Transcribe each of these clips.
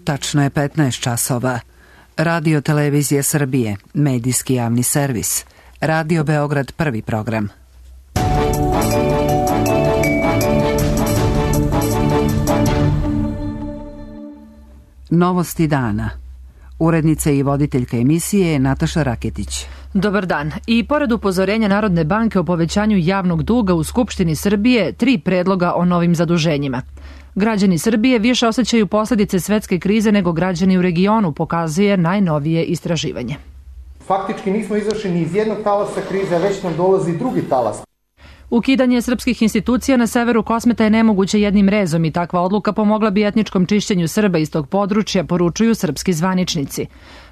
Tačno je 15 časova. Radio Televizija Srbije, medijski javni servis. Radio Beograd, prvi program. Novosti dana. Urednica i voditeljka emisije je Nataša Raketić. Dobar dan. I pored upozorenja Narodne banke o povećanju javnog duga u Skupštini Srbije, 3 predloga o novim zaduženjima. Građani Srbije više osjećaju posljedice svetske krize nego građani u regionu, pokazuje najnovije istraživanje. Faktički nismo izašli ni iz jednog talasa krize, a već nam dolazi drugi talas. Ukidanje srpskih institucija na severu Kosmeta je nemoguće jednim rezom i takva odluka pomogla bi etničkom čišćenju Srba iz tog područja, poručuju srpski zvaničnici.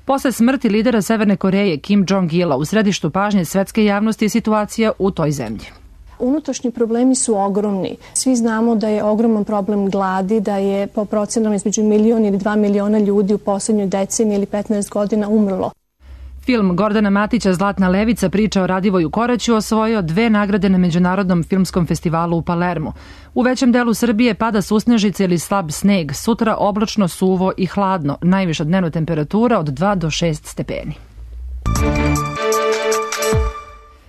Posle smrti lidera Severne Koreje Kim Jong-ila u središtu pažnje svetske javnosti je situacija u toj zemlji. Unutrašnji problemi su ogromni. Svi znamo da je ogroman problem gladi, da je po procenama između 1 ili 2 miliona ljudi u poslednjoj deceniji ili 15 godina umrlo. Film Gordana Matića Zlatna levica priča o Radivoju Koraću osvojio 2 nagrade na Međunarodnom filmskom festivalu u Palermu. U većem delu Srbije pada susnežice ili slab sneg, sutra oblačno, suvo i hladno, najviša dnevna temperatura od 2 do 6 stepeni.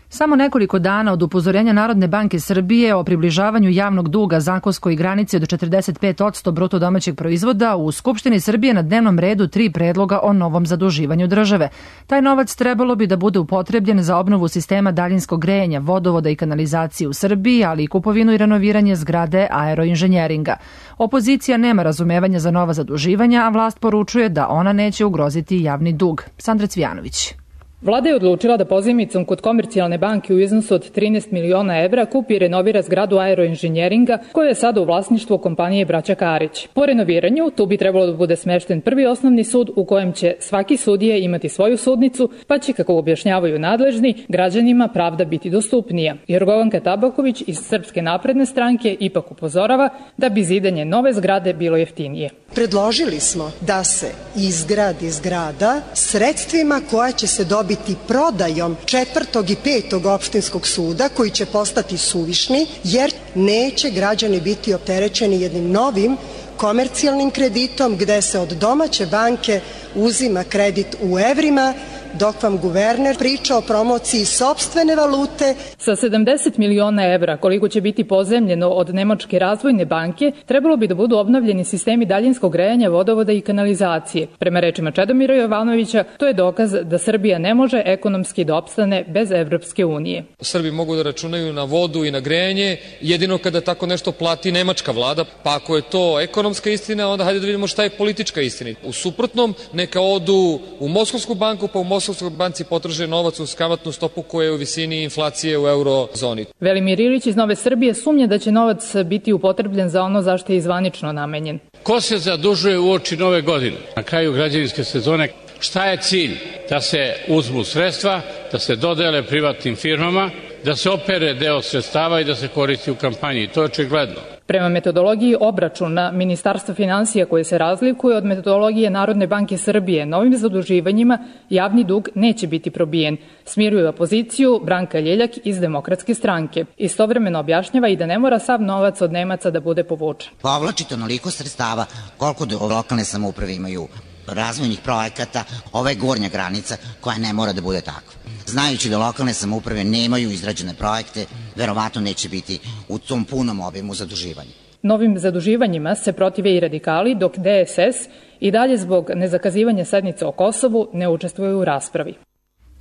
Samo nekoliko dana od upozorenja Narodne banke Srbije o približavanju javnog duga zakonskoj granici od 45% bruto domaćeg proizvoda, u Skupštini Srbije na dnevnom redu 3 predloga o novom zaduživanju države. Taj novac trebalo bi da bude upotrebljen za obnovu sistema daljinskog grejanja, vodovoda i kanalizacije u Srbiji, ali i kupovinu i renoviranje zgrade aeroinženjeringa. Opozicija nema razumevanja za nova zaduživanja, a vlast poručuje da ona neće ugroziti javni dug. Sandra Cvijanović. Vlada je odlučila da pozajmicom kod Komercijalne banke u iznosu od 13 miliona evra kupi i renovira zgradu aeroinženjeringa koja je sada u vlasništvu kompanije Braća Karić. Po renoviranju tu bi trebalo da bude smešten prvi osnovni sud u kojem će svaki sudija imati svoju sudnicu, pa će, kako objašnjavaju nadležni, građanima pravda biti dostupnija. Jorgovanka Tabaković iz Srpske napredne stranke ipak upozorava da bi zidanje nove zgrade bilo jeftinije. Predložili smo da se izgradi zgrada sredstvima koja će se dobiti prodajom 4. i 5. opštinskog suda, koji će postati suvišni, jer neće građani biti opterećeni jednim novim komercijalnim kreditom gde se od domaće banke uzima kredit u evrima, dok vam guverner priča o promociji sopstvene valute. Sa 70 miliona evra, koliko će biti pozajmljeno od Nemačke razvojne banke, trebalo bi da budu obnovljeni sistemi daljinskog grejanja, vodovoda i kanalizacije. Prema rečima Čedomira Jovanovića, to je dokaz da Srbija ne može ekonomski da opstane bez Evropske unije. Srbi mogu da računaju na vodu i na grejanje jedino kada tako nešto plati nemačka vlada, pa ako je to ekonomska istina, onda hajde da vidimo šta je politička istina. U suprotnom, neka odu u Moskovsku banku, pa u Moskovskoj banci potraže novac uz kamatnu stopu koja je u visini inflacije u eurozoni. Velimir Ilić iz Nove Srbije sumnja da će novac biti upotrebljen za ono zašto je zvanično namenjen. Ko se zadužuje uoči nove godine? Na kraju građevinske sezone, šta je cilj? Da se uzmu sredstva, da se dodele privatnim firmama, da se opere deo sredstava i da se koristi u kampanji. To je očigledno. Prema metodologiji obračuna Ministarstva finansija koje se razlikuje od metodologije Narodne banke Srbije, novim zaduživanjima javni dug neće biti probijen. Smiruje opoziciju Branka Ljeljak iz Demokratske stranke. Istovremeno objašnjava i da ne mora sav novac od Nemaca da bude povučen. Povlačite onoliko sredstava koliko lokalne samouprave imaju razvojnih projekata, ova je gornja granica koja ne mora da bude takva. Znajući da lokalne samouprave nemaju izrađene projekte, verovatno neće biti u tom punom obimu zaduživanja. Novim zaduživanjima se protive i radikali, dok DSS i dalje zbog nezakazivanja sednice o Kosovu ne učestvuje u raspravi.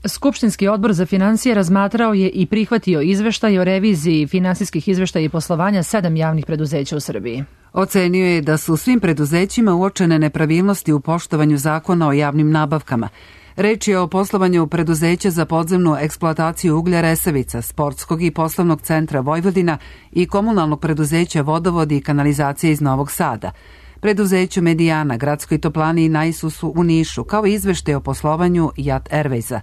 Skupštinski odbor za finansije razmatrao je i prihvatio izveštaj o reviziji finansijskih izveštaja i poslovanja 7 javnih preduzeća u Srbiji. Ocenio je da su u svim preduzećima uočene nepravilnosti u poštovanju zakona o javnim nabavkama. Reč je o poslovanju preduzeća za podzemnu eksploataciju uglja Resavica, Sportskog i poslovnog centra Vojvodina i komunalnog preduzeća Vodovodi i kanalizacije iz Novog Sada, preduzeću Medijana, Gradskoj toplani i Naisusu u Nišu, kao i izveštaj o poslovanju Jat Airwaysa.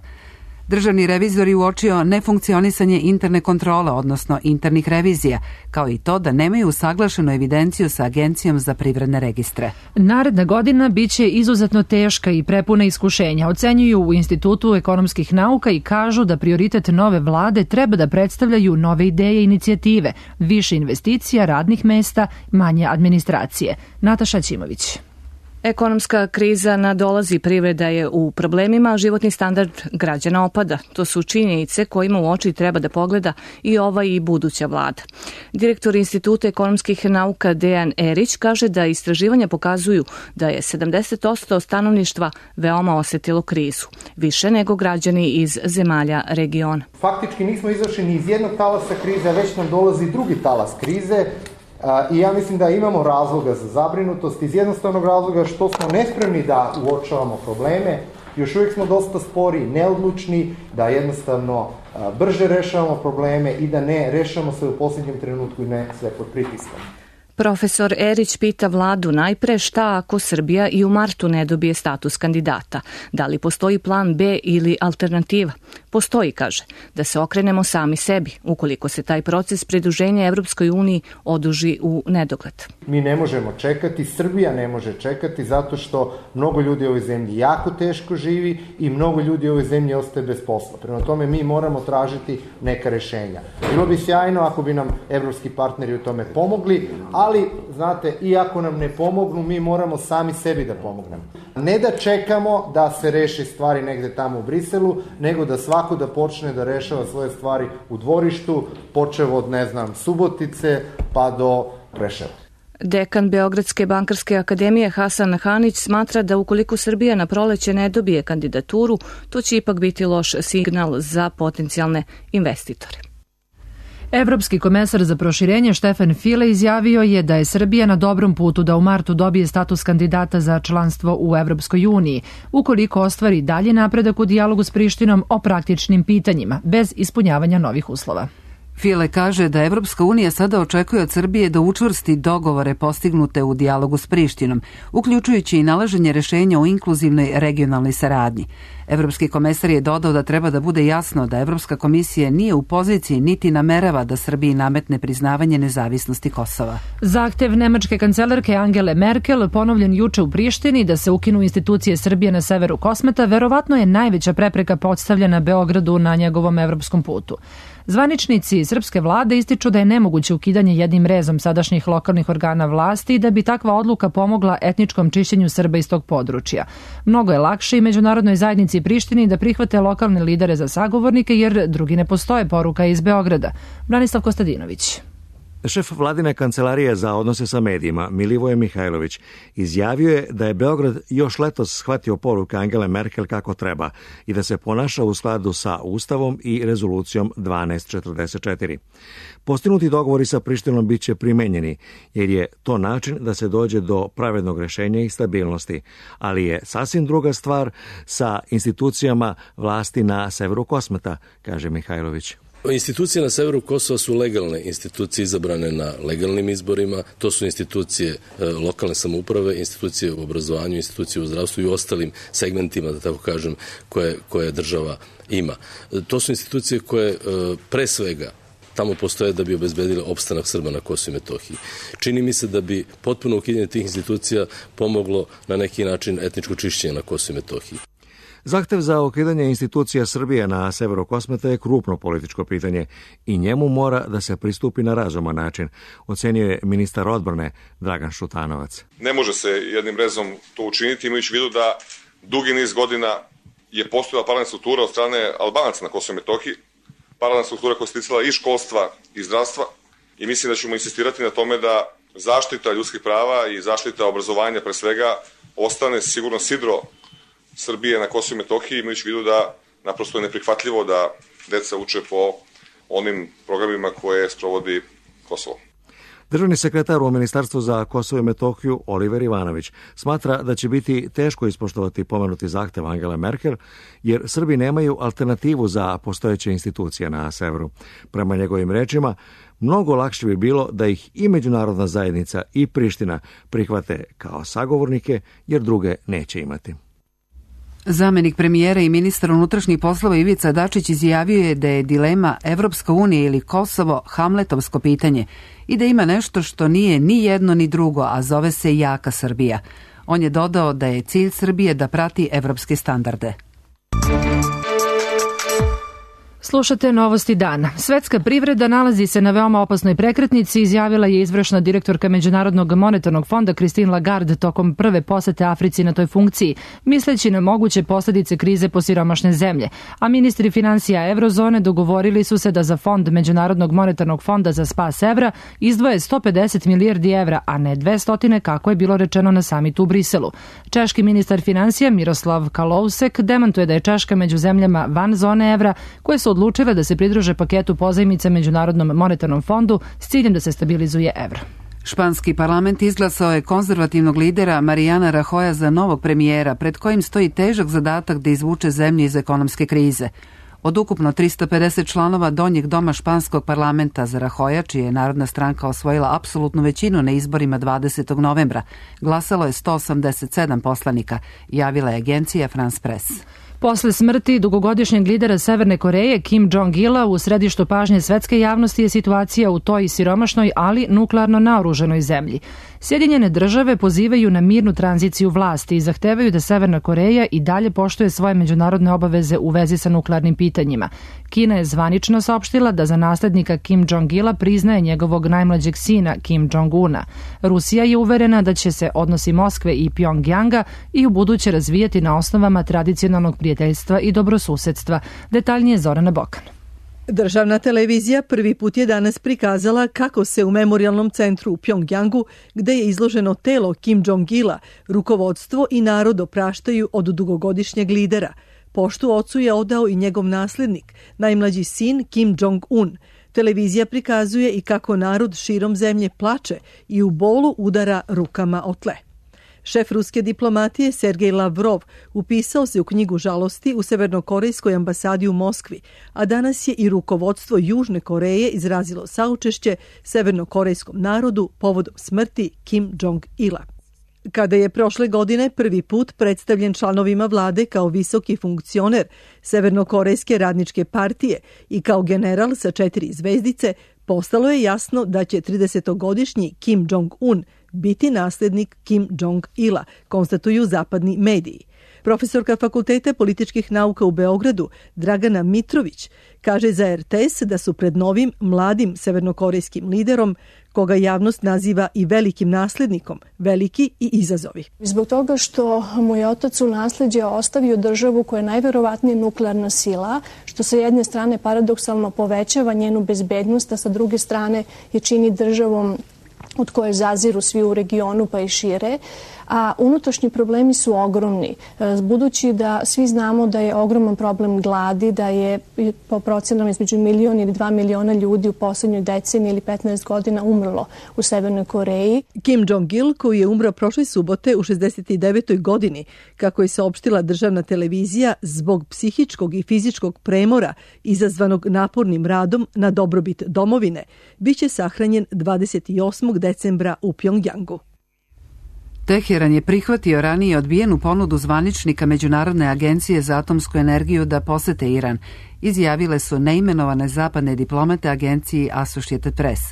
Državni revizor je uočio nefunkcionisanje interne kontrole, odnosno internih revizija, kao i to da nemaju usaglašenu evidenciju sa Agencijom za privredne registre. Naredna godina biće izuzetno teška i prepuna iskušenja, ocenjuju u Institutu ekonomskih nauka i kažu da prioritet nove vlade treba da predstavljaju nove ideje i inicijative, više investicija, radnih mesta, manje administracije. Nataša Ćimović. Ekonomska kriza nadolazi, privreda je u problemima, a životni standard građana opada. To su činjenice kojima u oči treba da pogleda i ova i buduća vlada. Direktor Instituta ekonomskih nauka Dejan Erić kaže da istraživanja pokazuju da je 70% stanovništva veoma osetilo krizu, više nego građani iz zemalja regiona. Faktički nismo izašli ni iz jednog talasa krize, a već nam dolazi drugi talas krize. I ja mislim da imamo razloga za zabrinutost iz jednostavnog razloga što smo nespremni da uočavamo probleme, još uvijek smo dosta spori, neodlučni, da jednostavno brže rešavamo probleme i da ne rešavamo sve u posljednjem trenutku i ne sve pod pritiskom. Profesor Erić pita vladu najpre šta ako Srbija i u martu ne dobije status kandidata. Da li postoji plan B ili alternativa? Postoji, kaže, da se okrenemo sami sebi, ukoliko se taj proces pridruženja Evropskoj uniji oduži u nedogled. Mi ne možemo čekati, Srbija ne može čekati zato što mnogo ljudi u ovoj zemlji jako teško živi i mnogo ljudi u ovoj zemlji ostaje bez posla. Prema tome mi moramo tražiti neka rešenja. Bilo bi sjajno ako bi nam evropski partneri u tome pomogli, ali, znate, i ako nam ne pomognu, mi moramo sami sebi da pomognemo. Ne da čekamo da se reši stvari negde tamo u Briselu, nego da svako da počne da rešava svoje stvari u dvorištu, počev od, Subotice pa do Preševa. Dekan Beogradske bankarske akademije Hasan Hanić smatra da ukoliko Srbija na proleće ne dobije kandidaturu, to će ipak biti loš signal za potencijalne investitore. Evropski komesar za proširenje Štefan File izjavio je da je Srbija na dobrom putu da u martu dobije status kandidata za članstvo u Evropskoj uniji, ukoliko ostvari dalje napredak u dijalogu s Prištinom o praktičnim pitanjima, bez ispunjavanja novih uslova. File kaže da Evropska unija sada očekuje od Srbije da učvrsti dogovore postignute u dijalogu s Prištinom, uključujući i nalaženje rešenja o inkluzivnoj regionalnoj saradnji. Evropski komesar je dodao da treba da bude jasno da Evropska komisija nije u poziciji niti namerava da Srbiji nametne priznavanje nezavisnosti Kosova. Zahtev nemačke kancelarke Angele Merkel, ponovljen juče u Prištini da se ukinu institucije Srbije na severu Kosmeta, verovatno je najveća prepreka postavljena Beogradu na njegovom evropskom putu. Zvaničnici srpske vlade ističu da je nemoguće ukidanje jednim rezom sadašnjih lokalnih organa vlasti i da bi takva odluka pomogla etničkom čišćenju Srba iz tog područja. Mnogo je lakše i međunarodnoj zajednici Prištini da prihvate lokalne lidere za sagovornike jer drugi ne postoje, poruka iz Beograda. Branislav Kostadinović. Šef vladine kancelarije za odnose sa medijima, Milivoje Mihajlović, izjavio je da je Beograd još letos shvatio poruke Angele Merkel kako treba i da se ponaša u skladu sa Ustavom i rezolucijom 1244. Postignuti dogovori sa Prištinom bit će primenjeni, jer je to način da se dođe do pravednog rešenja i stabilnosti, ali je sasvim druga stvar sa institucijama vlasti na severu Kosmeta, kaže Mihajlović. Institucije na severu Kosova su legalne institucije izabrane na legalnim izborima, to su institucije lokalne samouprave, institucije u obrazovanju, institucije u zdravstvu i u ostalim segmentima, da tako kažem, koje država ima. To su institucije koje pre svega tamo postoje da bi obezbedile opstanak Srba na Kosovu i Metohiji. Čini mi se da bi potpuno ukidanje tih institucija pomoglo na neki način etničko čišćenje na Kosovu i Metohiji. Zahtev za ukidanje institucija Srbije na severu Kosmeta je krupno političko pitanje i njemu mora da se pristupi na razuman način, ocenio je ministar odbrane Dragan Šutanovac. Ne može se jednim rezom to učiniti, imajući u vidu da dugi niz godina je postojala paralelna struktura od strane Albanaca na Kosovu i Metohiji, paralelna struktura koja se ticala i školstva i zdravstva i mislim da ćemo insistirati na tome da zaštita ljudskih prava i zaštita obrazovanja pre svega ostane sigurno sidro Srbije na Kosovu i Metohiji, imajući u vidu da naprosto je neprihvatljivo da deca uče po onim programima koje sprovodi Kosovo. Državni sekretar u Ministarstvu za Kosovo i Metohiju Oliver Ivanović smatra da će biti teško ispoštovati pomenuti zahtev Angele Merkel, jer Srbi nemaju alternativu za postojeće institucije na severu. Prema njegovim rečima, mnogo lakše bi bilo da ih i međunarodna zajednica i Priština prihvate kao sagovornike, jer druge neće imati. Zamenik premijera i ministar unutrašnjih poslova Ivica Dačić izjavio je da je dilema Evropska unija ili Kosovo hamletovsko pitanje i da ima nešto što nije ni jedno ni drugo, a zove se jaka Srbija. On je dodao da je cilj Srbije da prati evropske standarde. Slušate novosti dana. Svetska privreda nalazi se na veoma opasnoj prekretnici, izjavila je izvršna direktorka Međunarodnog monetarnog fonda Christine Lagarde tokom prve posete Africi na toj funkciji, misleći na moguće posljedice krize po siromašne zemlje. A ministri financija Evrozone dogovorili su se da za fond Međunarodnog monetarnog fonda za spas evra izdvoje 150 milijardi evra, a ne 200 kako je bilo rečeno na samitu u Briselu. Češki ministar financija Miroslav Kalousek demantuje da je Češka među zemljama van zone evra koje su odlučile da se pridruže paketu pozajmica Međunarodnom monetarnom fondu s ciljem da se stabilizuje evro. Španski parlament izglasao je konzervativnog lidera Mariana Rajoya za novog premijera, pred kojim stoji težak zadatak da izvuče zemlju iz ekonomske krize. Od ukupno 350 članova donjeg doma španskog parlamenta, za Rajoya, čija je Narodna stranka osvojila apsolutnu većinu na izborima 20. novembra, glasalo je 187 poslanika, javila je agencija France Press. Posle smrti dugogodišnjeg lidera Severne Koreje Kim Jong-ila u središtu pažnje svetske javnosti je situacija u toj siromašnoj, ali nuklearno naoružanoj zemlji. Sjedinjene države pozivaju na mirnu tranziciju vlasti i zahtevaju da Severna Koreja i dalje poštuje svoje međunarodne obaveze u vezi sa nuklearnim pitanjima. Kina je zvanično saopštila da za naslednika Kim Jong-ila priznaje njegovog najmlađeg sina Kim Jong-una. Rusija je uverena da će se odnosi Moskve i Pjongjanga i u buduće razvijati na osnovama tradicionalnog prijateljstva i dobrosusedstva. Detaljnije Zorana Bokan. Državna televizija prvi put je danas prikazala kako se u memorijalnom centru u Pjongjangu, gde je izloženo telo Kim Jong-ila, rukovodstvo i narod opraštaju od dugogodišnjeg lidera. Poštu ocu je odao i njegov naslednik, najmlađi sin Kim Jong-un. Televizija prikazuje i kako narod širom zemlje plače i u bolu udara rukama o tle. Šef ruske diplomatije Sergej Lavrov upisao se u knjigu žalosti u severnokorejskoj ambasadi u Moskvi, a danas je i rukovodstvo Južne Koreje izrazilo saučešće severnokorejskom narodu povodom smrti Kim Jong-ila. Kada je prošle godine prvi put predstavljen članovima vlade kao visoki funkcioner Severnokorejske radničke partije i kao general sa 4 zvezdice, postalo je jasno da će 30-godišnji Kim Jong-un biti naslednik Kim Jong-ila, konstatuju zapadni mediji. Profesorka Fakulteta političkih nauka u Beogradu, Dragana Mitrović, kaže za RTS da su pred novim, mladim severnokorejskim liderom, koga javnost naziva i velikim naslednikom, veliki i izazovi. Zbog toga što mu je otac u nasleđe ostavio državu koja je najverovatnije nuklearna sila, što sa jedne strane paradoksalno povećava njenu bezbednost, a sa druge strane je čini državom od koje zaziru svi u regionu pa i šire, a unutrašnji problemi su ogromni. Budući da svi znamo da je ogroman problem gladi, da je po procenama između 1 ili 2 miliona ljudi u poslednjoj deceniji ili 15 godina umrlo u Severnoj Koreji. Kim Jong-il, koji je umro prošle subote u 69. godini, kako je saopštila državna televizija, zbog psihičkog i fizičkog premora izazvanog napornim radom na dobrobit domovine, biće sahranjen 28. decembra u Pjongjangu. Teheran je prihvatio ranije odbijenu ponudu zvaničnika Međunarodne agencije za atomsku energiju da posete Iran, izjavile su neimenovane zapadne diplomate agenciji Associated Press.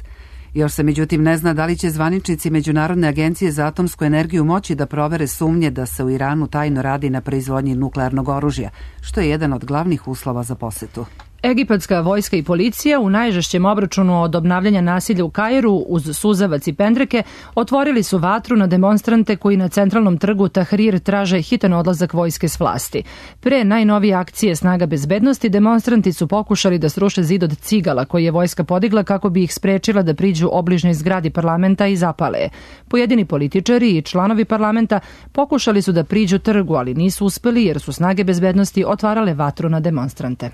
Još se međutim ne zna da li će zvaničnici Međunarodne agencije za atomsku energiju moći da provere sumnje da se u Iranu tajno radi na proizvodnji nuklearnog oružja, što je jedan od glavnih uslova za posetu. Egipatska vojska i policija u najžešćem obračunu od obnavljanja nasilja u Kairu uz suzavac i pendreke otvorili su vatru na demonstrante koji na centralnom trgu Tahrir traže hitan odlazak vojske s vlasti. Pre najnovije akcije snaga bezbednosti demonstranti su pokušali da sruše zid od cigala koji je vojska podigla kako bi ih sprečila da priđu obližnjoj zgradi parlamenta i zapale je. Pojedini političari i članovi parlamenta pokušali su da priđu trgu, ali nisu uspeli jer su snage bezbednosti otvarale vatru na demonstrante.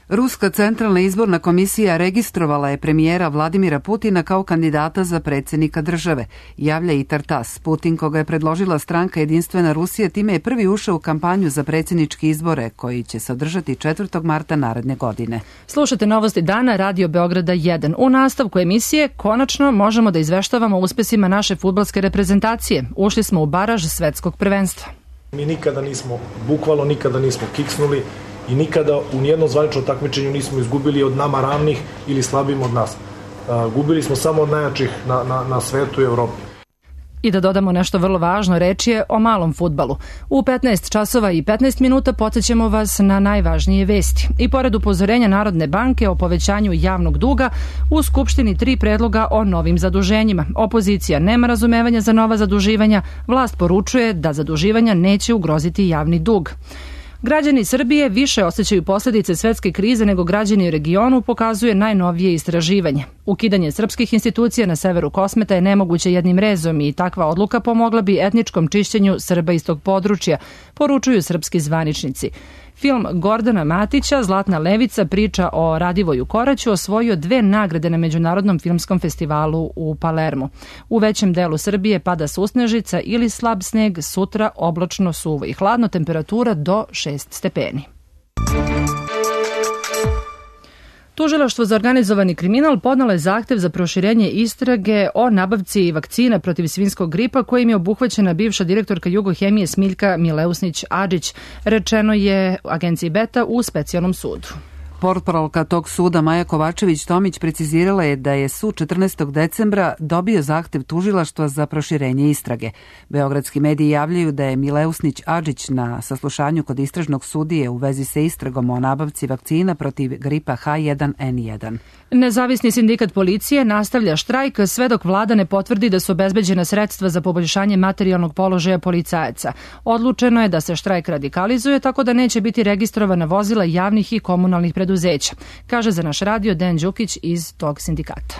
Ruska centralna izborna komisija registrovala je premijera Vladimira Putina kao kandidata za predsjednika države, javlja i TASS. Putin, koga je predložila stranka Jedinstvena Rusija, time je prvi ušao u kampanju za predsjedničke izbore koji će se održati 4. marta naredne godine. Slušate novosti dana Radio Beograda 1. U nastavku emisije konačno možemo da izveštavamo o uspesima naše fudbalske reprezentacije. Ušli smo u baraž svetskog prvenstva. Mi bukvalno nikada nismo kiksnuli i nikada u nijednom zvaničnom takmičenju nismo izgubili od nama ravnih ili slabijim od nas. Gubili smo samo od najjačih na svetu i Evropi. I da dodamo nešto vrlo važno, reč je o malom fudbalu. U 15 časova i 15 minuta podsjećamo vas na najvažnije vesti. I pored upozorenja Narodne banke o povećanju javnog duga, u Skupštini 3 predloga o novim zaduženjima. Opozicija nema razumevanja za nova zaduživanja, vlast poručuje da zaduživanja neće ugroziti javni dug. Građani Srbije više osjećaju posljedice svetske krize nego građani u regionu, pokazuje najnovije istraživanje. Ukidanje srpskih institucija na severu Kosmeta je nemoguće jednim rezom i takva odluka pomogla bi etničkom čišćenju Srba iz tog područja, poručuju srpski zvaničnici. Film Gordana Matića, Zlatna levica, priča o Radivoju Koraću, osvojio 2 nagrade na Međunarodnom filmskom festivalu u Palermu. U većem delu Srbije pada susnežica ili slab sneg, sutra oblačno, suvo i hladno, temperatura do 6 stepeni. Tužilaštvo za organizovani kriminal podnelo je zahtev za proširenje istrage o nabavci vakcina protiv svinjskog gripa kojim je obuhvaćena bivša direktorka Jugohemije Smiljka Mileusnić-Adžić, rečeno je agenciji Beta u specijalnom sudu. Portparolka tog suda Maja Kovačević-Tomić precizirala je da je sud 14. decembra dobio zahtev tužilaštva za proširenje istrage. Beogradski mediji javljaju da je Mileusnić-Adžić na saslušanju kod istražnog sudije u vezi sa istragom o nabavci vakcina protiv gripa H1N1. Nezavisni sindikat policije nastavlja štrajk sve dok vlada ne potvrdi da su obezbeđena sredstva za poboljšanje materijalnog položaja policajaca. Odlučeno je da se štrajk radikalizuje tako da neće biti registrovana vozila javnih i komunalnih preduzeća, kaže za naš radio Dejan Đukić iz tog sindikata.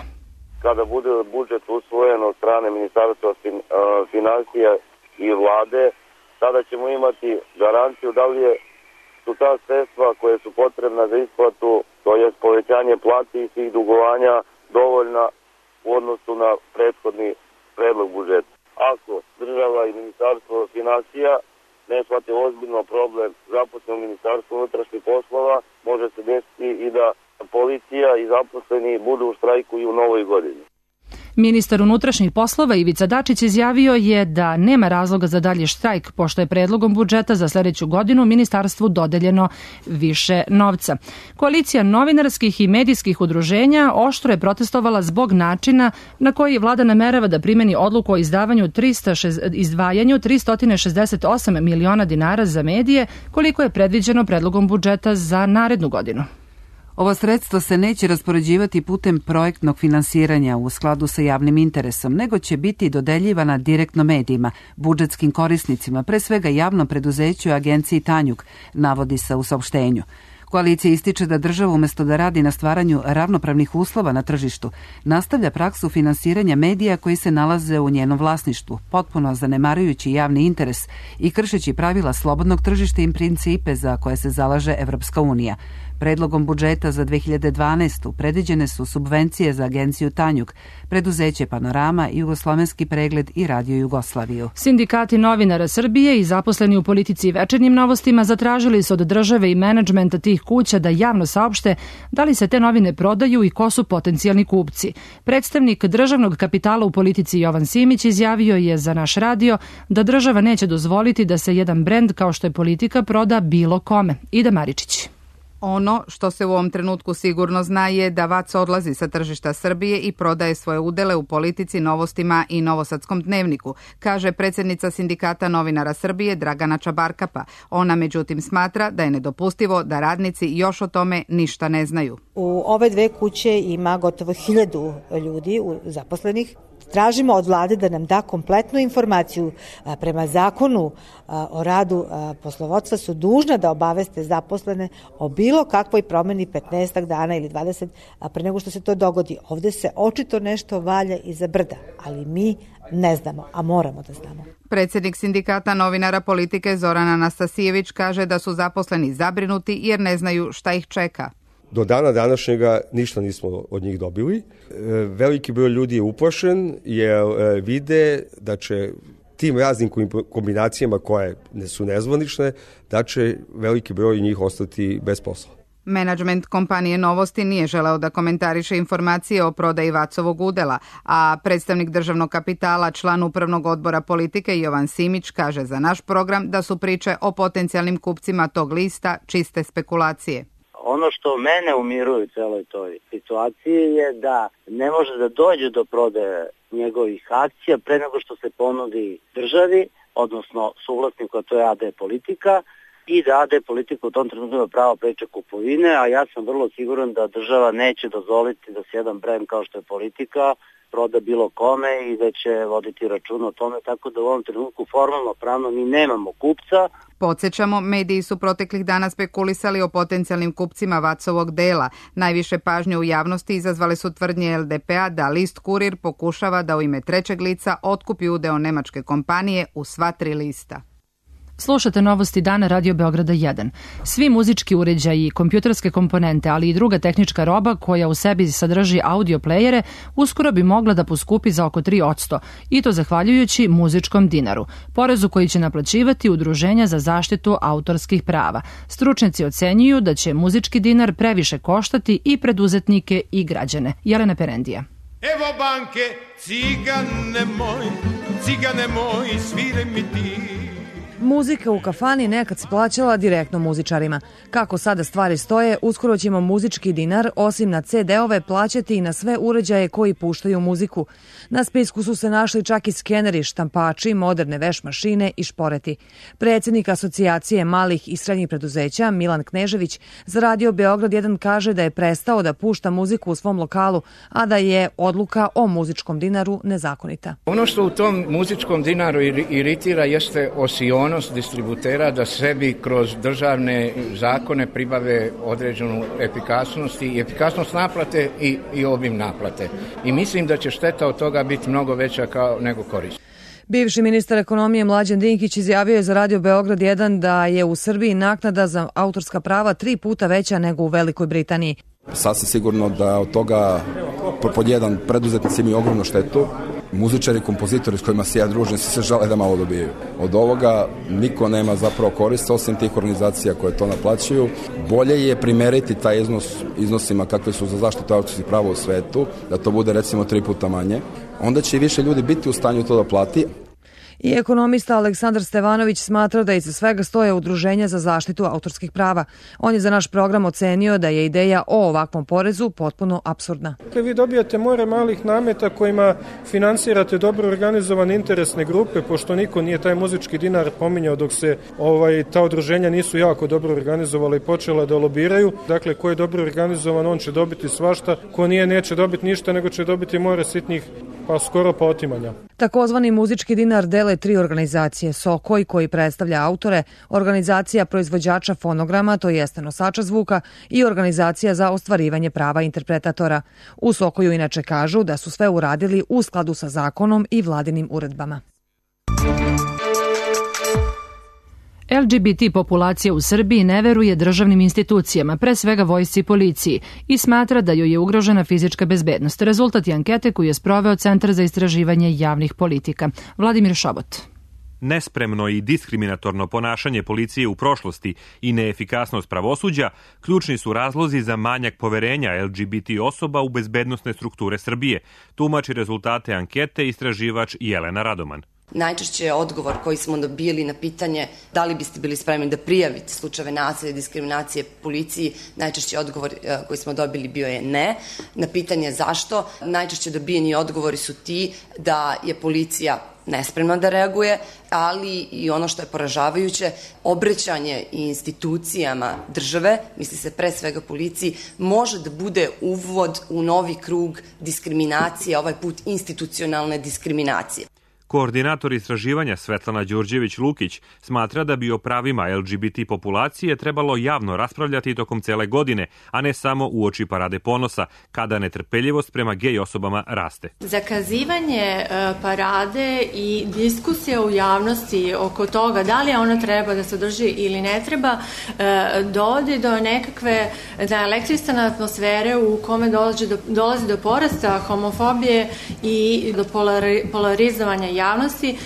Kada bude budžet usvojen od strane Ministarstva finansija i vlade, tada ćemo imati garanciju da li su ta sredstva koje su potrebna za isplatu, to je povećanje plati i svih dugovanja, dovoljna u odnosu na prethodni predlog budžeta. Ako država i Ministarstvo finansija ne shvate ozbiljno problem zaposlenog Ministarstva unutrašnjih poslova, može se desiti i da policija i zaposleni budu u štrajku i u novoj godini. Ministar unutrašnjih poslova Ivica Dačić izjavio je da nema razloga za dalje štrajk, pošto je predlogom budžeta za sljedeću godinu ministarstvu dodeljeno više novca. Koalicija novinarskih i medijskih udruženja oštro je protestovala zbog načina na koji vlada namerava da primeni odluku o izdvajanju 368 miliona dinara za medije, koliko je predviđeno predlogom budžeta za narednu godinu. Ova sredstva se neće raspoređivati putem projektnog finansiranja u skladu sa javnim interesom, nego će biti dodeljivana direktno medijima, budžetskim korisnicima, pre svega javnom preduzeću agenciji Tanjug, navodi se u saopštenju. Koalicija ističe da država umjesto da radi na stvaranju ravnopravnih uslova na tržištu, nastavlja praksu finansiranja medija koji se nalaze u njenom vlasništvu, potpuno zanemarujući javni interes i kršeći pravila slobodnog tržišta i principe za koje se zalaže Evropska unija. Predlogom budžeta za 2012. predviđene su subvencije za agenciju Tanjug, preduzeće Panorama, Jugoslovenski pregled i Radio Jugoslaviju. Sindikati novinara Srbije i zaposleni u politici i večernjim novostima zatražili su od države i menadžmenta tih kuća da javno saopšte da li se te novine prodaju i ko su potencijalni kupci. Predstavnik državnog kapitala u politici Jovan Simić izjavio je za naš radio da država neće dozvoliti da se jedan brend kao što je Politika proda bilo kome. Ida Maričić. Ono što se u ovom trenutku sigurno zna je da VAC odlazi sa tržišta Srbije i prodaje svoje udele u Politici, Novostima i Novosadskom dnevniku, kaže predsjednica Sindikata novinara Srbije Dragana Čabarkapa. Ona međutim smatra da je nedopustivo da radnici još o tome ništa ne znaju. U ove 2 kuće ima gotovo 1000 ljudi zaposlenih. Tražimo od vlade da nam da kompletnu informaciju. Prema zakonu o radu poslovodstva su dužna da obaveste zaposlene o bilo kakvoj promeni 15 dana ili 20 pre nego što se to dogodi. Ovde se očito nešto valja iza brda, ali mi ne znamo, a moramo da znamo. Predsjednik Sindikata novinara Politike Zoran Anastasijević kaže da su zaposleni zabrinuti jer ne znaju šta ih čeka. Do dana današnjega ništa nismo od njih dobili. Veliki broj ljudi je uplašen jer vide da će tim raznim kombinacijama koje su nezvanične, da će veliki broj njih ostati bez posla. Menadžment kompanije Novosti nije želeo da komentariše informacije o prodaji VAC-ovog udela, a predstavnik državnog kapitala, član upravnog odbora Politike Jovan Simić kaže za naš program da su priče o potencijalnim kupcima tog lista čiste spekulacije. Ono što mene umiruje u celoj toj situaciji je da ne može da dođe do prodaje njegovih akcija pre nego što se ponudi državi, odnosno suvlasniku, a to je AD Politika, i da AD Politika u tom trenutku ima pravo preče kupovine, a ja sam vrlo siguran da država neće dozvoliti da se jedan brend kao što je Politika proda bilo kome i da će voditi račun o tome, tako da u ovom trenutku formalno pravno mi nemamo kupca. Podsjećamo, mediji su proteklih dana spekulisali o potencijalnim kupcima Vacovog dela. Najviše pažnje u javnosti izazvale su tvrdnje LDP-a da list Kurir pokušava da u ime trećeg lica otkupi udeo nemačke kompanije u sva 3 lista. Slušate novosti dana Radio Beograda 1. Svi muzički uređaji i kompjuterske komponente, ali i druga tehnička roba koja u sebi sadrži audio plejere, uskoro bi mogla da poskupi za oko 3%, i to zahvaljujući muzičkom dinaru, porezu koji će naplaćivati udruženja za zaštitu autorskih prava. Stručnjaci ocenjuju da će muzički dinar previše koštati i preduzetnike i građane. Jelena Perendija. Evo banke, cigane moj, sviraj mi ti. Muzika u kafani nekad se plaćala direktno muzičarima. Kako sada stvari stoje, uskoro ćemo muzički dinar, osim na CD-ove, plaćati i na sve uređaje koji puštaju muziku. Na spisku su se našli čak i skeneri, štampači, moderne veš mašine i šporeti. Predsjednik Asocijacije malih i srednjih preduzeća, Milan Knežević, za Radio Beograd 1 kaže da je prestao da pušta muziku u svom lokalu, a da je odluka o muzičkom dinaru nezakonita. Ono što u tom muzičkom dinaru iritira jeste osionost distributera da sebi kroz državne zakone pribave određenu efikasnost i efikasnost naplate i obim naplate. I mislim da će šteta od toga biti mnogo veća nego korist. Bivši ministar ekonomije Mlađan Dinkić izjavio je za Radio Beograd 1 da je u Srbiji naknada za autorska prava 3 puta veća nego u Velikoj Britaniji. Sasvim sigurno da od toga pod jedan preduzetnici imaju ogromnu štetu. Muzičari i kompozitori s kojima se ja družim se žele da malo dobijaju. Od ovoga niko nema zapravo korist osim tih organizacija koje to naplaćuju. Bolje je primeriti taj iznosima kakve su za zaštitu autorskih prava u svetu, da to bude recimo 3 puta manje. Onda će i više ljudi biti u stanju to da plati. I ekonomista Aleksandar Stevanović smatra da iza svega stoje udruženja za zaštitu autorskih prava. On je za naš program ocenio da je ideja o ovakvom porezu potpuno apsurdna. Vi dobijate more malih nameta kojima finansirate dobro organizovane interesne grupe, pošto niko nije taj muzički dinar pominjao dok se ta udruženja nisu jako dobro organizovala i počela da lobiraju. Dakle, ko je dobro organizovan, on će dobiti svašta, ko nije, neće dobiti ništa, nego će dobiti more sitnih, pa skoro pa otimanja. Takozvani muzički dinar dele 3 organizacije: Sokoj, koji predstavlja autore, organizacija proizvođača fonograma, to jeste nosača zvuka, i organizacija za ostvarivanje prava interpretatora. U Sokoju inače kažu da su sve uradili u skladu sa zakonom i vladinim uredbama. LGBT populacija u Srbiji ne veruje državnim institucijama, pre svega vojsci i policiji, i smatra da joj je ugrožena fizička bezbednost. Rezultat je ankete koju je sproveo Centar za istraživanje javnih politika. Vladimir Šobot. Nespremno i diskriminatorno ponašanje policije u prošlosti i neefikasnost pravosuđa ključni su razlozi za manjak poverenja LGBT osoba u bezbednosne strukture Srbije, tumači rezultate ankete istraživač Jelena Radoman. Najčešće je odgovor koji smo dobili na pitanje da li biste bili spremni da prijavite slučajeve nasilja i diskriminacije policiji, najčešći odgovor koji smo dobili bio je ne. Na pitanje zašto, najčešće dobijeni odgovori su ti da je policija nespremna da reaguje, ali i ono što je poražavajuće, obraćanje institucijama države, misli se pre svega policiji, može da bude uvod u novi krug diskriminacije, ovaj put institucionalne diskriminacije. Koordinator istraživanja Svetlana Đurđević-Lukić smatra da bi o pravima LGBT populacije trebalo javno raspravljati tokom cele godine, a ne samo uoči Parade ponosa, kada netrpeljivost prema gej osobama raste. Zakazivanje parade i diskusija u javnosti oko toga da li ona treba da se održi ili ne treba, dovodi do nekakve elektrisane atmosfere u kome dolazi do porasta homofobije i do polarizovanja javnosti.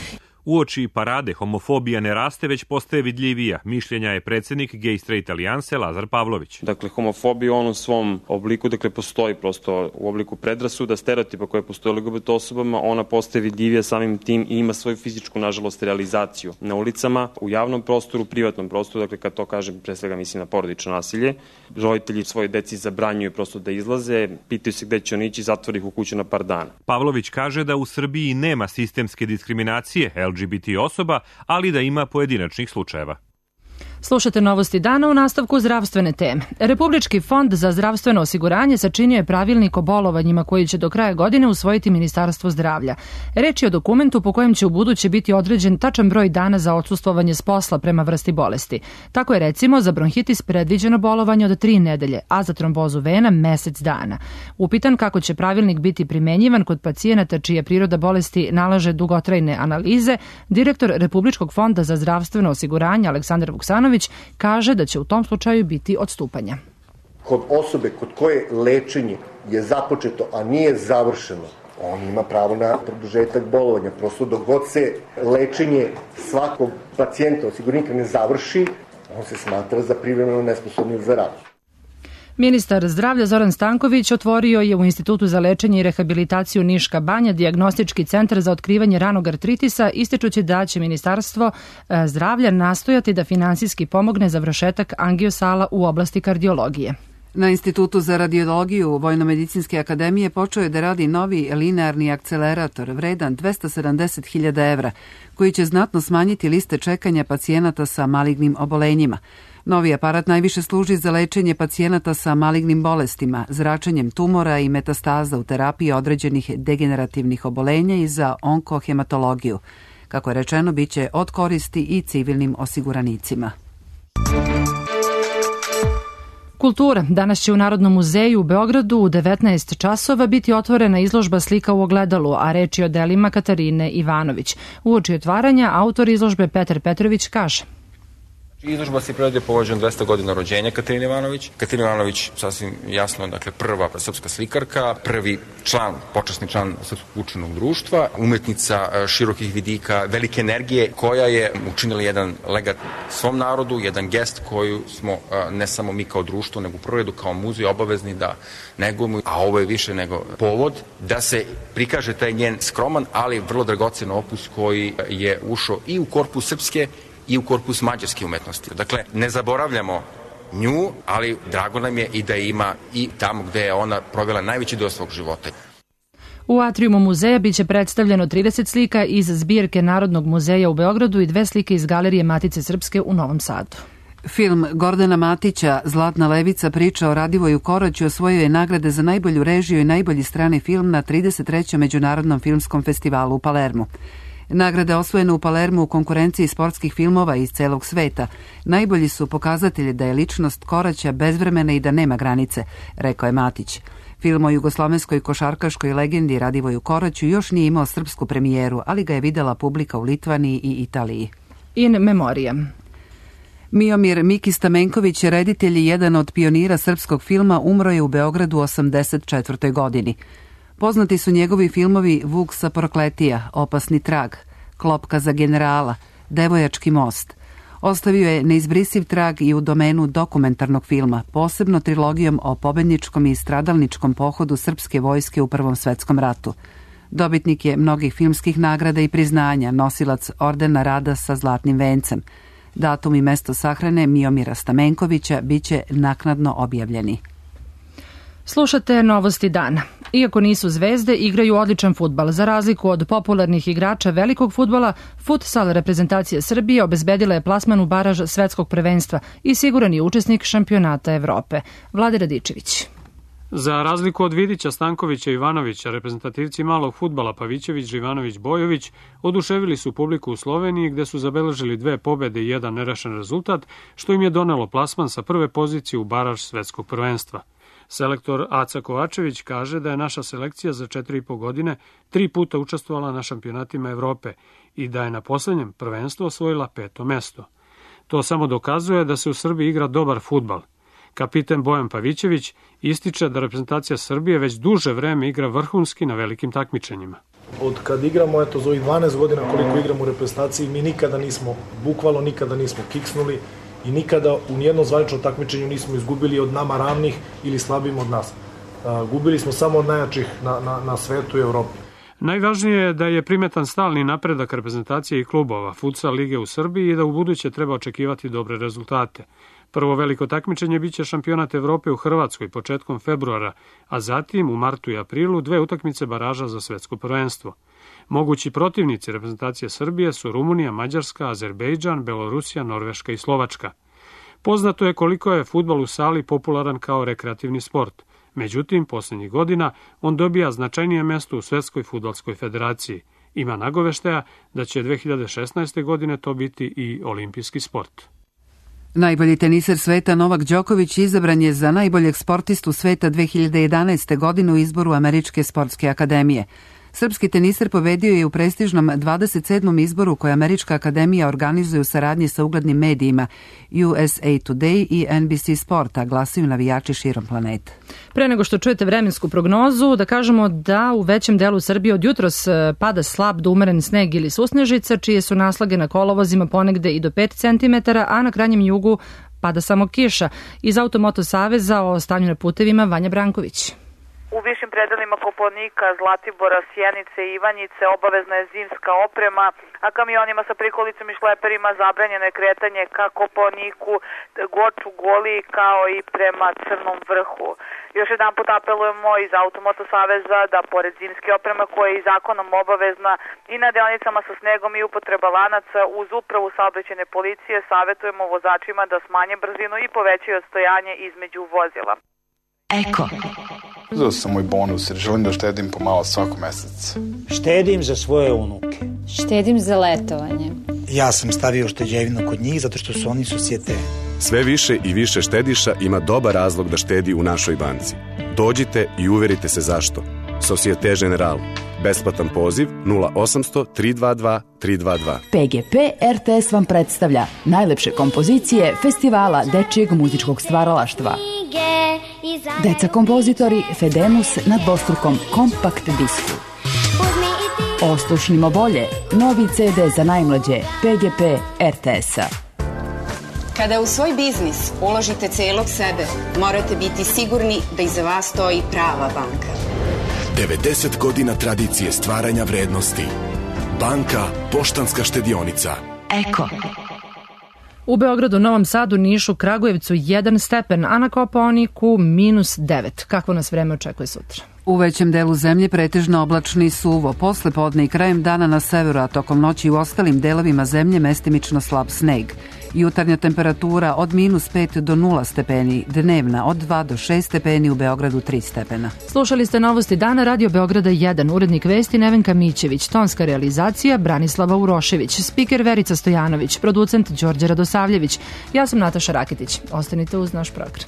Uoči parade homofobija ne raste, već postaje vidljivija. Mišljenja je predsjednik Gay Straight Alijanse Lazar Pavlović. Dakle, homofobija u svom obliku, postoji prosto u obliku predrasuda, stereotipa koje postoje LGBT osobama, ona postaje vidljivija samim tim i ima svoju fizičku, nažalost, realizaciju na ulicama, u javnom prostoru, privatnom prostoru, kad to kažem, pre svega mislim na porodično nasilje. Roditelji svoje deci zabranjuju prosto da izlaze, pitaju se gde će oni ići, zatvori ih u kuću na par dana. Pavlović kaže da u Srbiji nema sistemske diskriminacije LGBT osoba, ali da ima pojedinačnih slučajeva. Slušate Novosti dana u nastavku zdravstvene teme. Republički fond za zdravstveno osiguranje sačinio je pravilnik o bolovanjima koji će do kraja godine usvojiti Ministarstvo zdravlja. Reč je o dokumentu po kojem će ubuduće biti određen tačan broj dana za odsustvovanje s posla prema vrsti bolesti. Tako je recimo za bronhitis predviđeno bolovanje od 3 nedelje, a za trombozu vena mesec dana. Upitan kako će pravilnik biti primenjivan kod pacijenata čija priroda bolesti nalaže dugotrajne analize, direktor Republičkog fonda za zdravstveno osiguranje Aleksandar Vuksanović kaže da će u tom slučaju biti odstupanja. Kod osobe kod koje lečenje je započeto, a nije završeno, on ima pravo na produžetak bolovanja. Prosto dok god se lečenje svakog pacijenta, osiguranika ne završi, on se smatra za privremeno nesposobnim za rad. Ministar zdravlja Zoran Stanković otvorio je u Institutu za lečenje i rehabilitaciju Niška banja dijagnostički centar za otkrivanje ranog artritisa, ističući da će Ministarstvo zdravlja nastojati da finansijski pomogne završetak angiosala u oblasti kardiologije. Na Institutu za radiologiju Vojnomedicinske akademije počeo je da radi novi linearni akcelerator vredan 270.000 evra, koji će znatno smanjiti liste čekanja pacijenata sa malignim obolenjima. Novi aparat najviše služi za lečenje pacijenata sa malignim bolestima, zračenjem tumora i metastaza u terapiji određenih degenerativnih obolenja i za onkohematologiju. Kako je rečeno, bit će od koristi i civilnim osiguranicima. Kultura. Danas će u Narodnom muzeju u Beogradu u 19 časova biti otvorena izložba Slika u ogledalu, a reč je o delima Katarine Ivanović. Uoči otvaranja autor izložbe Petar Petrović kaže: Izložba se priredio povođen 200 godina rođenja Katarine Ivanović. Katarina Ivanović, sasvim jasno, prva srpska slikarka, prvi počasni član Srpskog učenog društva, umetnica širokih vidika, velike energije, koja je učinila jedan legat svom narodu, jedan gest koju smo ne samo mi kao društvo, nego u prvom redu kao muzej obavezni da negujemo, a ovo je više nego povod da se prikaže taj njen skroman, ali vrlo dragocen opus koji je ušao i u korpus srpske i u korpus mađarske umetnosti. Dakle, ne zaboravljamo nju, ali drago nam je i da ima i tamo gde je ona provela najveći deo svog života. U atrijumu muzeja biće predstavljeno 30 slika iz zbirke Narodnog muzeja u Beogradu i 2 slike iz Galerije Matice Srpske u Novom Sadu. Film Gordana Matića Zlatna levica priča o Radivoju Koraću osvojio je nagrade za najbolju režiju i najbolji strani film na 33. Međunarodnom filmskom festivalu u Palermu. Nagrade osvojene u Palermu u konkurenciji sportskih filmova iz celog sveta najbolji su pokazatelji da je ličnost Koraća bezvremena i da nema granice, rekao je Matić. Film o jugoslovenskoj košarkaškoj legendi Radivoju Koraću još nije imao srpsku premijeru, ali ga je videla publika u Litvaniji i Italiji. In memoriam. Miomir Miki Stamenković, reditelj i jedan od pionira srpskog filma, umro je u Beogradu u 84. godini. Poznati su njegovi filmovi Vuk sa Prokletija, Opasni trag, Klopka za generala, Devojački most. Ostavio je neizbrisiv trag i u domenu dokumentarnog filma, posebno trilogijom o pobedničkom i stradalničkom pohodu srpske vojske u Prvom svetskom ratu. Dobitnik je mnogih filmskih nagrada i priznanja, nosilac ordena rada sa zlatnim vencem. Datum i mesto sahrane Miomira Stamenkovića biće naknadno objavljeni. Slušate Novosti dana. Iako nisu zvezde, igraju odličan fudbal. Za razliku od popularnih igrača velikog fudbala, futsal reprezentacije Srbije obezbedila je plasman u baraž svetskog prvenstva i siguran je učesnik šampionata Evrope. Vlade Radičević. Za razliku od Vidića, Stankovića i Ivanovića, reprezentativci malog fudbala Pavićević, Živanović, Bojović oduševili su publiku u Sloveniji gde su zabeležili 2 pobede i 1 nerešen rezultat, što im je donelo plasman sa prve pozicije u baraž svetskog prvenstva. Selektor Aca Kovačević kaže da je naša selekcija za 4,5 godine 3 puta učestvovala na šampionatima Evrope i da je na poslednjem prvenstvu osvojila 5. mesto. To samo dokazuje da se u Srbiji igra dobar fudbal. Kapiten Bojan Pavićević ističe da reprezentacija Srbije već duže vreme igra vrhunski na velikim takmičenjima. Od kad igramo, eto, za ovih 12 godina koliko igramo u reprezentaciji, mi bukvalno nikada nismo kiksnuli i nikada u nijednom zvaničnom takmičenju nismo izgubili od nama ravnih ili slabim od nas. Gubili smo samo od najjačih na svetu i Evropi. Najvažnije je da je primetan stalni napredak reprezentacije i klubova futsal lige u Srbiji i da u buduće treba očekivati dobre rezultate. Prvo veliko takmičenje biće šampionat Evrope u Hrvatskoj početkom februara, a zatim u martu i aprilu 2 utakmice baraža za svetsko prvenstvo. Mogući protivnici reprezentacije Srbije su Rumunija, Mađarska, Azerbejdžan, Belorusija, Norveška i Slovačka. Poznato je koliko je fudbal u sali popularan kao rekreativni sport. Međutim, posljednjih godina on dobija značajnije mesto u Svetskoj fudbalskoj federaciji. Ima nagoveštaja da će 2016. godine to biti i olimpijski sport. Najbolji teniser sveta Novak Đoković izabran je za najboljeg sportistu sveta 2011. godine u izboru Američke sportske akademije. Srpski teniser pobedio je u prestižnom 27. izboru koje Američka akademija organizuje u saradnji sa uglednim medijima USA Today i NBC Sporta, glasaju navijači širom planete. Pre nego što čujete vremensku prognozu, da kažemo da u većem delu Srbije od jutros pada slab do umeren sneg ili susnežica, čije su naslage na kolovozima ponegde i do 5 cm, a na krajnjem jugu pada samo kiša. Iz Automoto saveza o stanju na putevima Vanja Branković. U višim predelima Kopaonika, Zlatibora, Sjenice i Ivanjice obavezna je zimska oprema, a kamionima sa prikolicom i šleperima zabranjeno je kretanje ka Kopaoniku, Goču, Goliji kao i prema Crnom vrhu. Još jedan put apelujemo iz Automoto saveza da pored zimske opreme koja je i zakonom obavezna i na deonicama sa snegom i upotreba lanaca uz upravu saobraćajne policije savjetujemo vozačima da smanje brzinu i povećaju odstojanje između vozila. Eko. Uzeo sam moj bonus jer želim da štedim pomalo svako mesec. Štedim za svoje unuke. Štedim za letovanje. Ja sam stavio šteđevinu kod njih zato što su oni Societe. Sve više i više štediša ima dobar razlog da štedi u našoj banci. Dođite i uverite se zašto. Societe Generale. Besplatan poziv 0800 322 322. PGP RTS vam predstavlja najlepše kompozicije Festivala dečijeg muzičkog stvaralaštva. Deca kompozitori Fedemus na dvostrukom kompakt disku. Ostušnimo bolje, novi CD za najmlađe PGP RTS-a. Kada u svoj biznis uložite celog sebe, morate biti sigurni da iza vas stoji prava banka. 90 godina tradicije stvaranja vrednosti. Banka Poštanska štedionica. Eko. U Beogradu, Novom Sadu, Nišu, Kragujevcu 1 stepen, a na Kopaoniku -9. Kakvo nas vreme očekuje sutra? U većem delu zemlje pretežno oblačno i suvo, posle podne i krajem dana na severu, a tokom noći u ostalim delovima zemlje mestimično slab sneg. Jutarnja temperatura od -5 do 0 stepeni, dnevna od 2 do 6 stepeni, u Beogradu 3 stepena. Slušali ste Novosti dana Radio Beograda 1, urednik vesti Nevenka Mićević, tonska realizacija Branislava Urošević, spiker Verica Stojanović, producent Đorđe Radosavljević. Ja sam Nataša Rakitić. Ostanite uz naš program.